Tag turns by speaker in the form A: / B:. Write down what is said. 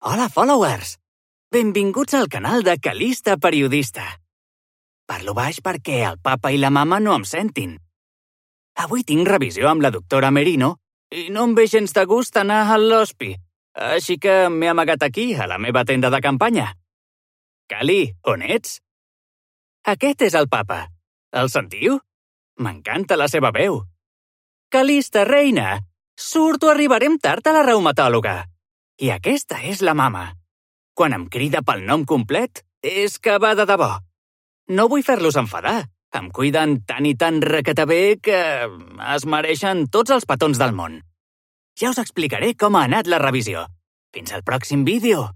A: Hola, followers! Benvinguts al canal de Calista Periodista. Parlo baix perquè el papa i la mama no em sentin. Avui tinc revisió amb la doctora Merino i no em ve gens de gust anar a l'hospi, així que m'he amagat aquí, a la meva tenda de campanya. Cali, on ets? Aquest és el papa. El sentiu? M'encanta la seva veu. Calista, reina! Surto, arribarem tard a la reumatòloga. I aquesta és la mama. Quan em crida pel nom complet, és que va de debò. No vull fer-los enfadar. Em cuiden tant i tan requetabé que es mereixen tots els petons del món. Ja us explicaré com ha anat la revisió. Fins al pròxim vídeo.